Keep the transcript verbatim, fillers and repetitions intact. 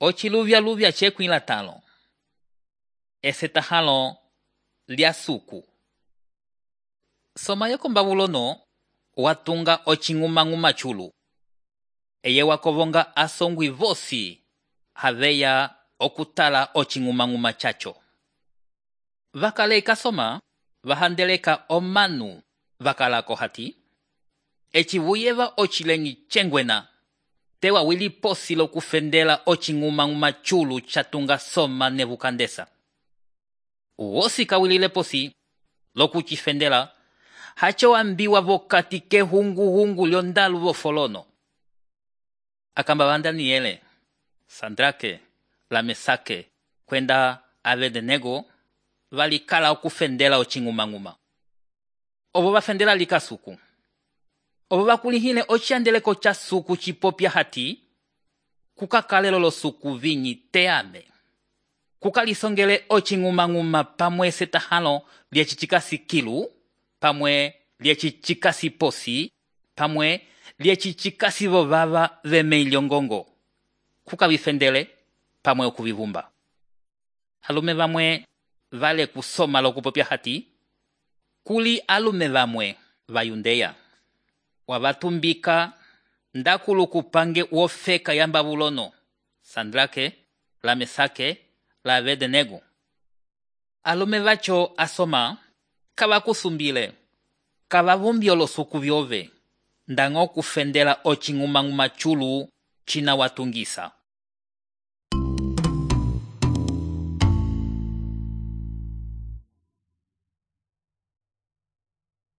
Ociluvya-luvya cekwila talo. Esetahalo lya suku. Soma yoko Babulono watunga ocinguma-nguma chulu. Eye wakovonga asongwi vosi haveya okutala ocinguma-nguma chacho. Vakaleka soma vahandeleka omanu vakalako hati. Ecivuyeva ocilengi chengwena. Tewa wili posi lokufendela ocinguma-nguma chulu chatunga soma Nebukadnesa. Uosi kawilile posi lokuchifendela hacho ambiwa vokati ke hungu-hungu lyondalu vofolono. Akamba Daniele, Sandrake, Lamesake, kwenda Abednego valikala okufendela ocinguma-nguma. Ovo vafendela likasuku. Ovo vakulihile ociandeleko cha suku chipopya hati kukakalelo lo suku vinyi teame. Kukalisongele ocinguma-nguma pamwe setahalo liechichikasi kilu, pamwe liechichikasi posi, pamwe liechichikasi vovava vemeiliongongo. Kukavifendele pamwe okuvivumba. Alume vamwe vale kusoma lokupopya hati, kuli alume vamwe vayundeya. Wavatumbika ndakulu kupange wofeka ya Babulono, Sandrake, Lamesake, la Abednego. Alume vacho asoma, kavakusumbile, kavavumbi olosuku vyove, ndango kufendela ocinguma-nguma chulu china watungisa.